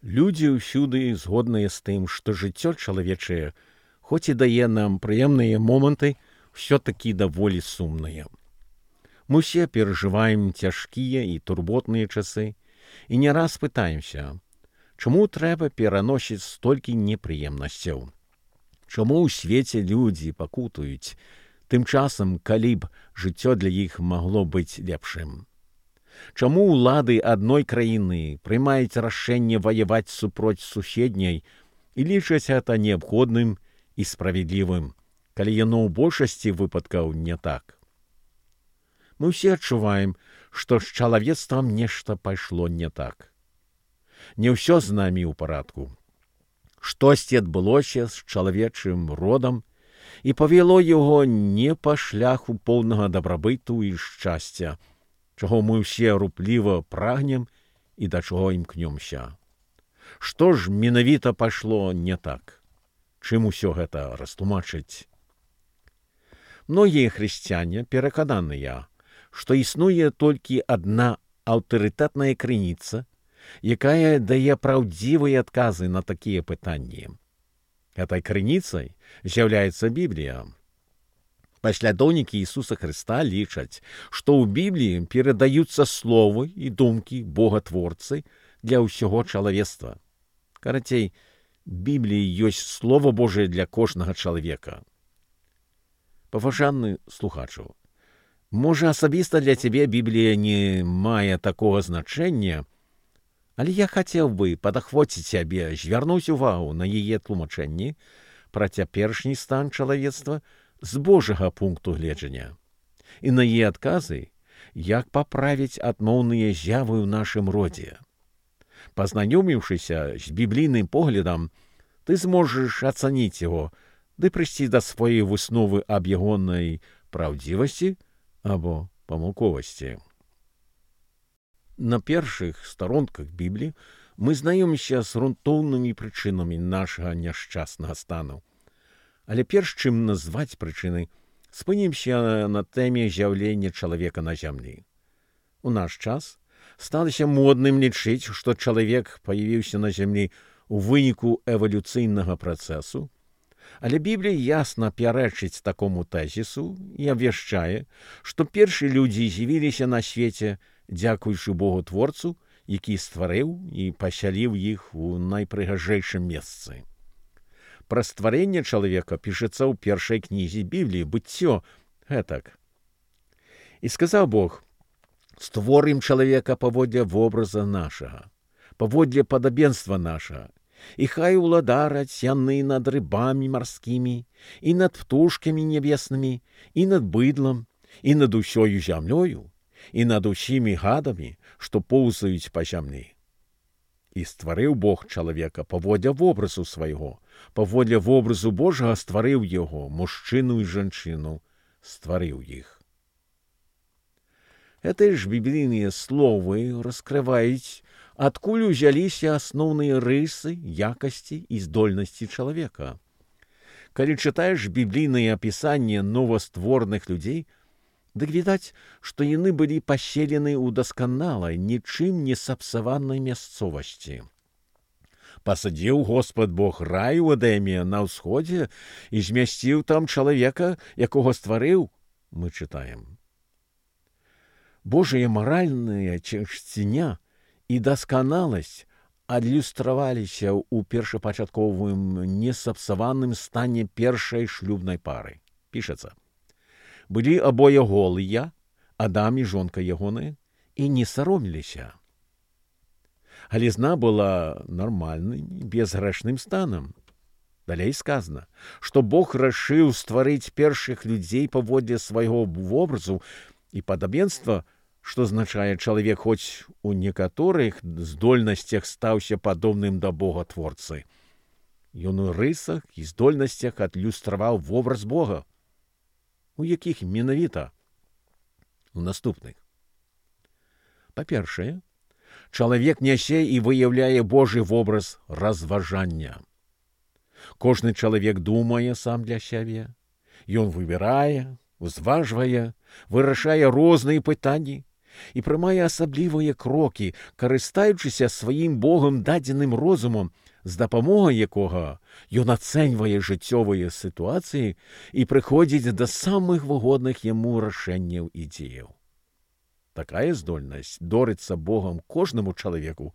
Людзі ўсюды згодныя з тым, што жыццё чалавечае, хоць і дае нам прыемныя моманты, ўсё-такі даволі сумнае. Мы ўсе перажываем цяжкія і турботныя часы і не раз пытаемся, чаму трэба пераносіць столькі непрыемнасцяў? Чаму ў свеце людзі пакутуюць, тым часам, калі б жыццё для іх магло быць лепшым? Чаму ўлады адной краіны прымаюць рашэнне ваяваць супроць суседняй і лічаць гэта неабходным і справядлівым, калі яно ў большасці выпадкаў не так? Мы ўсе адчуваем, што з чалавецтвам нешта пайшло не так. Не ўсё з намі ў парадку. Штосьці адбылося з чалавечым родам і павяло яго не па шляху поўнага дабрабыту і шчасця, чаго мы ўсе рупліва прагнем і да чаго імкнёмся. Што ж менавіта пайшло не так? Чым усё гэта растлумачыць? Многія хрысціяне перакананыя, што існуе толькі адна аўтарытэтная крыніца, якая дае праўдзівыя адказы на такія пытанні. Гэтай крыніцай з'яўляецца Біблія. Паслядоўнікі Ісуса Хрыста лічаць, што ў Бібліі перадаюцца словы і думкі Богатворцы для ўсяго чалавецтва. Карацей, Бібліі ёсць Слова Божае для кожнага чалавека. Паважаны слухачу, можа, асабіста для цябе Біблія не мае такога значэння, але я хацеў бы падахвоціць цябе, звярнуць увагу на яе тлумачэнні пра цяперашні стан чалавецтва з Божага пункту гледжання і на яе адказы, як паправіць адмоўныя з'явы ў нашым родзе. Пазнаёміўшыся з біблійным поглядам, ты зможаш ацаніць яго ды прыйсці да сваёй высновы аб ягонай праўдзівасці або памылковасці. На першых старонках Бібліі мы знаёмімся з грунтоўнымі прычынамі нашага няшчаснага стану. Але перш чым назваць прычыны, спынімся на тэме з'яўлення чалавека на зямлі. У наш час сталася модным лічыць, што чалавек паявіўся на зямлі ў выніку эвалюцыйнага працэсу, але Біблія ясна пярэчыць такому тэзісу і абвяшчае, што першыя людзі з'явіліся на свеце дзякуючы Богу-творцу, які стварыў і пасяліў іх у найпрыгажэйшым месцы. Пра стварэнне чалавека пішацца ў першай кнізе Бібліі «Быццё» гэтак. І сказаў Бог: «Створым чалавека паводле вобраза нашага, паводле падабенства нашага, і хай уладараць яны над рыбамі марскімі, і над птушкамі нябеснымі, і над быдлам, і над усёю зямлёю, і над усімі гадамі, што поўзаюць па зямлі». І стварыў Бог чалавека паводле вобразу свайго, паводле вобразу Божага стварыў яго, мужчыну і жанчыну стварыў іх. Гэтыя ж біблійныя словы раскрываюць, адкуль узяліся асноўныя рысы, якасці і здольнасці чалавека. Калі чытаеш біблійнае апісанне новастворных людзей, дык відаць, што яны былі паселены ў дасканалай, нічым не сапсаванай мясцовасці. Пасадзіў Господ Бог рай у Эдэме на ўсходзе і змясціў там чалавека, якога стварыў, мы чытаем. Божая маральная чысціня і дасканаласць адлюстраваліся ў першапачатковым несапсаваным стане першай шлюбнай пары. Пішацца: «Былі абое голыя, Адам і жонка ягоная, і не сароміліся». Галізна была нармальным, безгрэшным станам. Далей сказана, што Бог рашыў стварыць першых людзей паводле свайго вобразу і падабенства, што азначае, чалавек хоць у некаторых здольнасцях стаўся падобным да Бога-творцы. Ён у рысах і здольнасцях адлюстраваў вобраз Бога. У якіх менавіта? У наступных. Па-першае, чалавек нясе і выяўляе Божы вобраз разважання. Кожны чалавек думае сам для сябе. Ён выбірае, узважвае, вырашае розныя пытанні і прымае асаблівыя крокі, карыстаючыся сваім Богам дадзеным розумам, з дапамогай якога ён ацэньвае жыццёвыя сітуацыі і прыходзіць да самых выгодных яму рашэнняў і дзеяў. Такая здольнасць дорыцца Богам кожнаму чалавеку,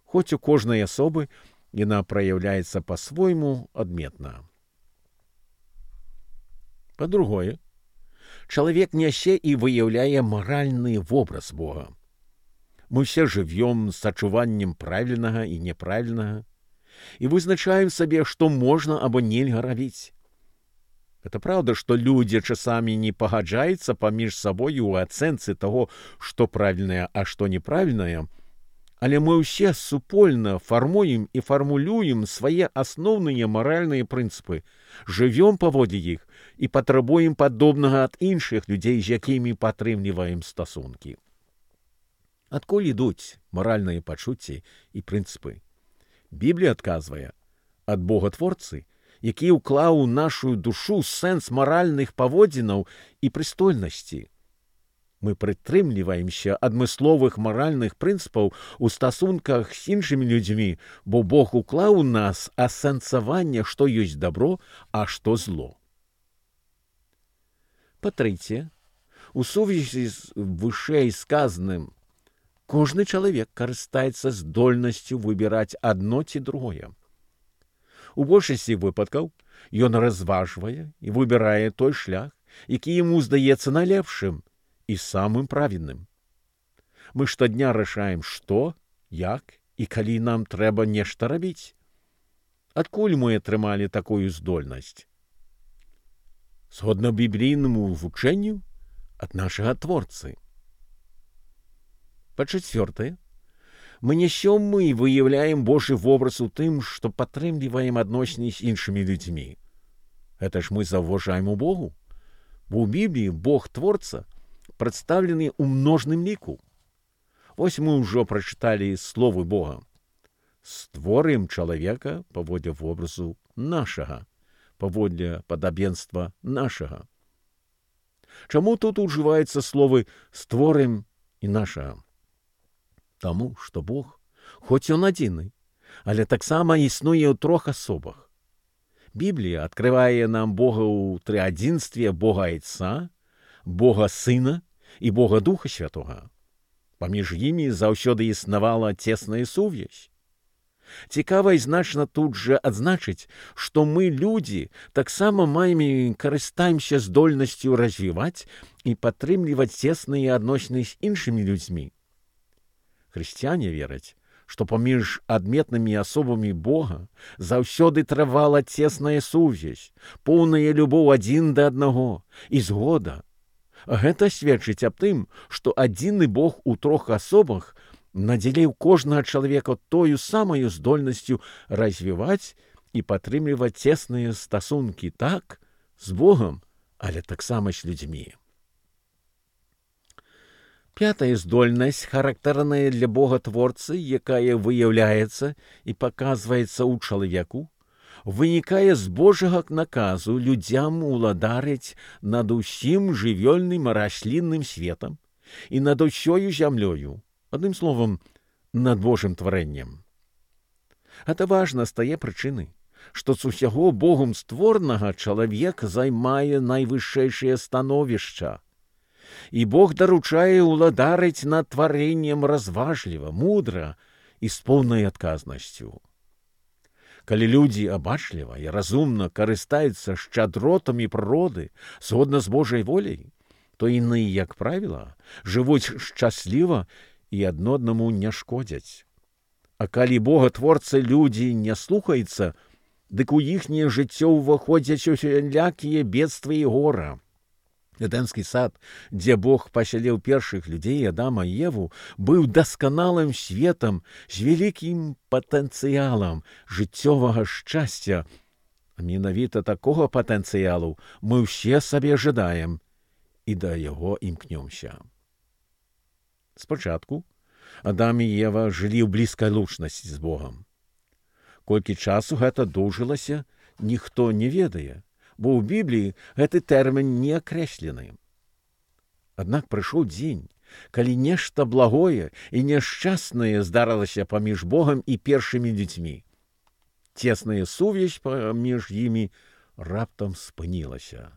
хоць у кожнай асобы яна праяўляецца па-свойму адметна. Па-другое, чалавек нясе і выяўляе маральны вобраз Бога. Мы ўсе жывём з адчуваннем правільнага і няправільнага і вызначаем сабе, што можна або нельга рабіць. Это праўда, што людзі часамі не пагаджаюцца паміж сабою ў ацэнцы таго, што правільнае, а што неправільнае, але мы ўсе супольна фармуем і фармулюем свае асноўныя маральныя прынцыпы, жывём паводле іх і патрабуем падобнага ад іншых людзей, з якімі падтрымліваем стасункі. Адкуль ідуць маральныя пачуцці і прынцыпы? Біблія адказвае: ад Бога-творцы, які ўклаў у нашу душу сэнс маральных паводзінаў і прыстойнасці. Мы прытрымліваемся адмысловых маральных прынцыпаў у стасунках з іншымі людзьмі, бо Бог уклаў у нас асэнсаванне, што ёсць дабро, а што зло. Па-трэцяе, у сувязі з вышэй сказаным, кожны чалавек карыстаецца здольнасцю выбіраць адно ці другое. У большасці выпадкаў ён разважвае і выбірае той шлях, які яму здаецца найлепшым і самым правільным. Мы штодня рашаем, што, як і калі нам трэба нешта рабіць. Адкуль мы атрымалі такую здольнасць? Згодна біблійнаму вучэнню, ад нашага Творцы. Па-чацвёртае, мы нясём і выяўляем Божы вобраз у тым, што падтрымліваем адносіны з іншымі людзьмі. Гэта ж мы заўважаем у Богу, бо ў Бібліі Бог-творца прадстаўлены ў множным ліку. Вось мы ўжо прачыталі словы Бога: «Створым чалавека паводле вобразу нашага, паводле падабенства нашага». Чаму тут ужываюцца словы «створым» і «нашага»? Таму, што Бог, хоць ён адзіны, але таксама існуе ў трох асобах. Біблія адкрывае нам Бога ў трыадзінстве Бога Айца, Бога Сына і Бога Духа Святога. Паміж імі заўсёды існавала цесная сувязь. Цікава і значна тут жа адзначыць, што мы, людзі, таксама маем і карыстаемся здольнасцю развіваць і падтрымліваць цесныя адносіны з іншымі людзьмі. Хрысціяне вераць, што паміж адметнымі асобамі Бога заўсёды трывала цесная сувязь, поўная любоў адзін да аднаго і згода. Гэта сведчыць аб тым, што адзіны Бог у трох асобах надзеліў кожнага чалавека тою самаю здольнасцю развіваць і падтрымліваць цесныя стасункі так з Богам, але таксама з людзьмі. Пятая здольнасць, характэрная для Бога-творцы, якая выяўляецца і паказваецца ў чалавеку, вынікае з Божага наказу людзям уладарыць над усім жывёльным раслінным светам і над усёю зямлёю, адным словам, над Божым тварэннем. Гэта важна з тае прычыны, што з усяго Богом створанага чалавек займае найвышэйшае становішча, і Бог даручае ўладарыць над тварэннем разважліва, мудра і з поўнай адказнасцю. Калі людзі абачліва і разумна карыстаюцца шчадротамі прыроды згодна з Божай воляй, то яны, як правіла, жывуць шчасліва і адно аднаму не шкодзяць. А калі Бога-творцы людзі не слухаюцца, дык у іхняе жыццё ўваходзяць усялякія бедствы і гора. Эдэмскі сад, дзе Бог пасяліў першых людзей, Адама і Еву, быў дасканалым светам з вялікім патэнцыялам жыццёвага шчасця. Менавіта такога патэнцыялу мы ўсе сабе жадаем і да яго імкнёмся. Спачатку Адам і Ева жылі ў блізкай лучнасці з Богам. Колькі часу гэта доўжылася, ніхто не ведае, бо ў Бібліі гэты тэрмін не акрэслены. Аднак прыйшоў дзень, калі нешта благое і няшчаснае здарылася паміж Богам і першымі людзьмі. Цесная сувязь паміж імі раптам спынілася.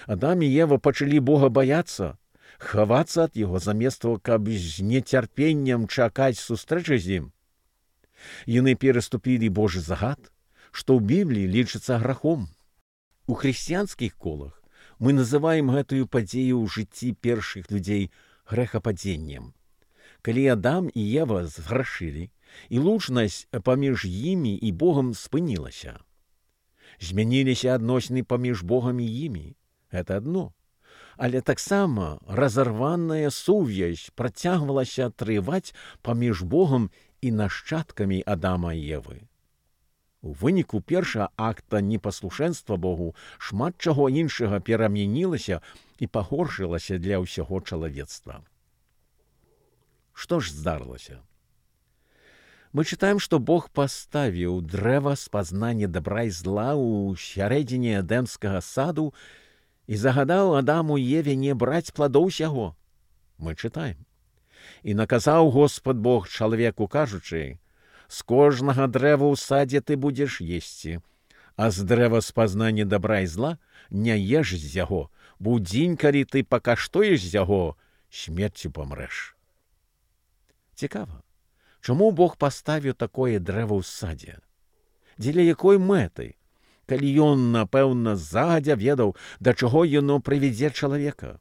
Адам і Ева пачалі Бога баяцца, хавацца ад яго замест того, каб з нецярпеннем чакаць сустрэчы з ім. Яны пераступілі Божы загад, што ў Бібліі лічыцца грахом. У хрысціянскіх колах мы называем гэтую падзею ў жыцці першых людзей грэхападзеннем. Калі Адам і Ева зграшылі, і лучнасць паміж імі і Богам спынілася. Змяніліся адносіны паміж Богам і імі. Гэта адно. Але таксама разарваная сувязь працягвалася трываць паміж Богам і нашчадкамі Адама і Евы. У выніку першага акта непаслушэнства Богу шмат чаго іншага перамянілася і пагоршылася для ўсяго чалавецтва. Што ж здарылася? Мы чытаем, што Бог паставіў дрэва спазнання дабра і зла ў сярэдзіне эдэмскага саду і загадаў Адаму і Еве не браць пладоў сяго. Мы чытаем. І наказаў Господ Бог чалавеку, кажучы: «З кожнага дрэва ў садзе ты будзеш есці, а з дрэва спазнання дабра і зла не еш з яго, бо ў дзень, калі ты пакаштуеш з яго, смерцю памрэш». Цікава, чаму Бог паставіў такое дрэва ў садзе? Дзеля якой мэты? Калі ён, напэўна, загадзя ведаў, да чаго яно прывядзе чалавека.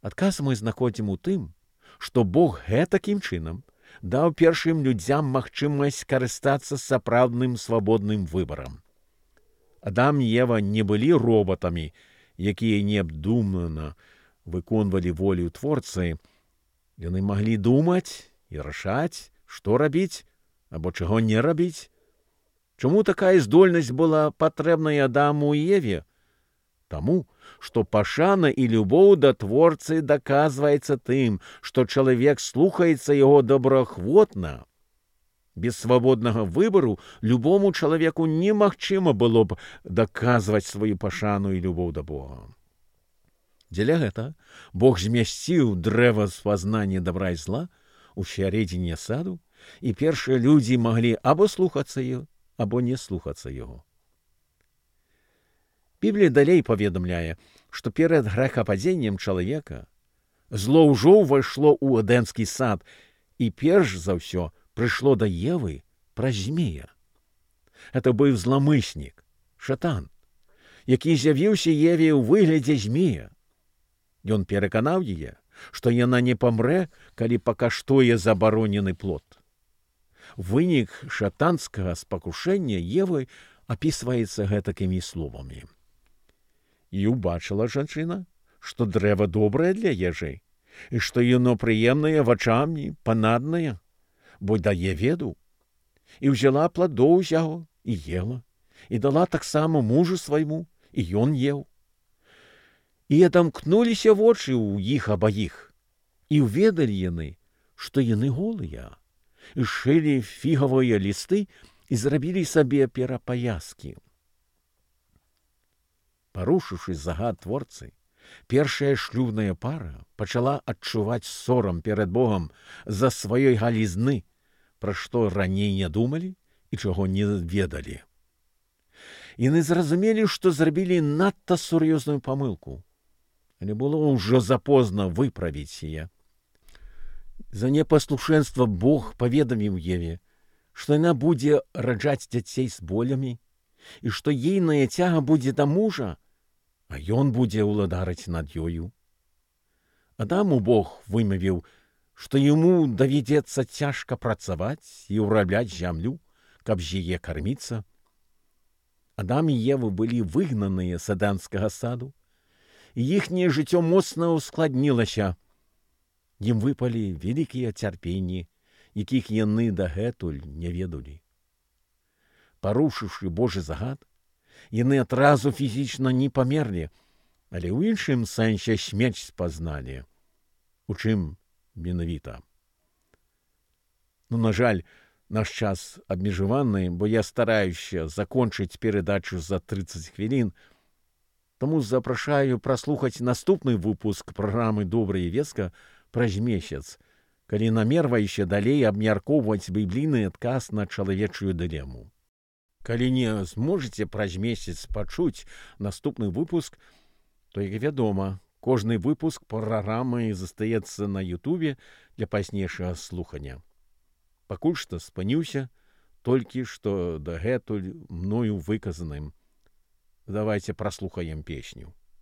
Адказ мы знаходзім у тым, што Бог гэтакім чынам даў першым людзям магчымасць карыстацца сапраўдным свабодным выбарам. Адам і Ева не былі робатамі, якія неабдумана выконвалі волю Творцы. Яны маглі думаць і рашаць, што рабіць або чаго не рабіць. Чаму такая здольнасць была патрэбная Адаму і Еве? Таму, што пашана і любоў да Творцы даказваецца тым, што чалавек слухаецца яго добраахвотна. Без свабоднага выбару любому чалавеку немагчыма было б даказваць сваю пашану і любоў да Бога. Дзеля гэта Бог змясціў дрэва спазнання дабра і зла ў сярэдзіне саду, і першыя людзі маглі або слухацца яго, або не слухацца яго. Біблія далей паведамляе, што перад грэхападзеннем чалавека зло ўжо ўвайшло ў эдэмскі сад і перш за ўсё прыйшло да Евы праз змея. Гэта быў зламыснік, шатан, які з'явіўся Еве ў выглядзе змея. Ён пераканаў яе, што яна не памрэ, калі пакаштуе забаронены плод. Вынік шатанскага спакушэння Евы апісваецца гэтакімі словамі. І убачыла жанчына, што дрэва добрае для ежы, і што яно прыемнае вачамі, панаднае, бо дае веду. І ўзяла пладоў з яго і ела, і дала таксама мужу свайму, і ён еў. І адамкнуліся вочы ў іх абаіх, і ўведалі яны, што яны голыя, і шылі фігавыя лісты і зрабілі сабе перапаяскі. Парушыўшы загад Творцы, першая шлюбная пара пачала адчуваць сорам перад Богам за сваёй галізны, пра што раней не думалі і чаго не ведалі. Яны зразумелі, што зрабілі надта сур'ёзную памылку, але было ўжо запозна выправіць яе. За непаслушэнства Бог паведаміў Еве, што яна будзе раджаць дзяцей з болямі, і што ейная цяга будзе да мужа, а ён будзе ўладарыць над ёю. Адаму Бог вымавіў, што яму давядзецца цяжка працаваць і ўрабляць зямлю, каб з яе карміцца. Адам і Ева былі выгнаныя з эдэмскага саду, і іхняе жыццё моцна ўскладнілася. Ім выпалі вялікія цярпенні, якіх яны дагэтуль не ведалі. Парушыўшы Божы загад, яны адразу фізічна не памерлі, але ў іншым сэнсе смерць спазналі. У чым менавіта? На жаль, наш час абмежаваны, бо я стараюся закончыць перадачу за 30 хвілін. Таму запрашаю праслухаць наступны выпуск праграмы «Добрая вестка» праз месяц, калі намерваеце далей абмяркоўваць біблійны адказ на чалавечую дылему. Калі не зможаце праз месяц пачуць наступны выпуск, то, як вядома, кожны выпуск праграмы застаецца на Ютубе для пазнейшага слухання. Пакуль што спыніўся толькі што дагэтуль мною выказаным. Давайте праслухаем песню.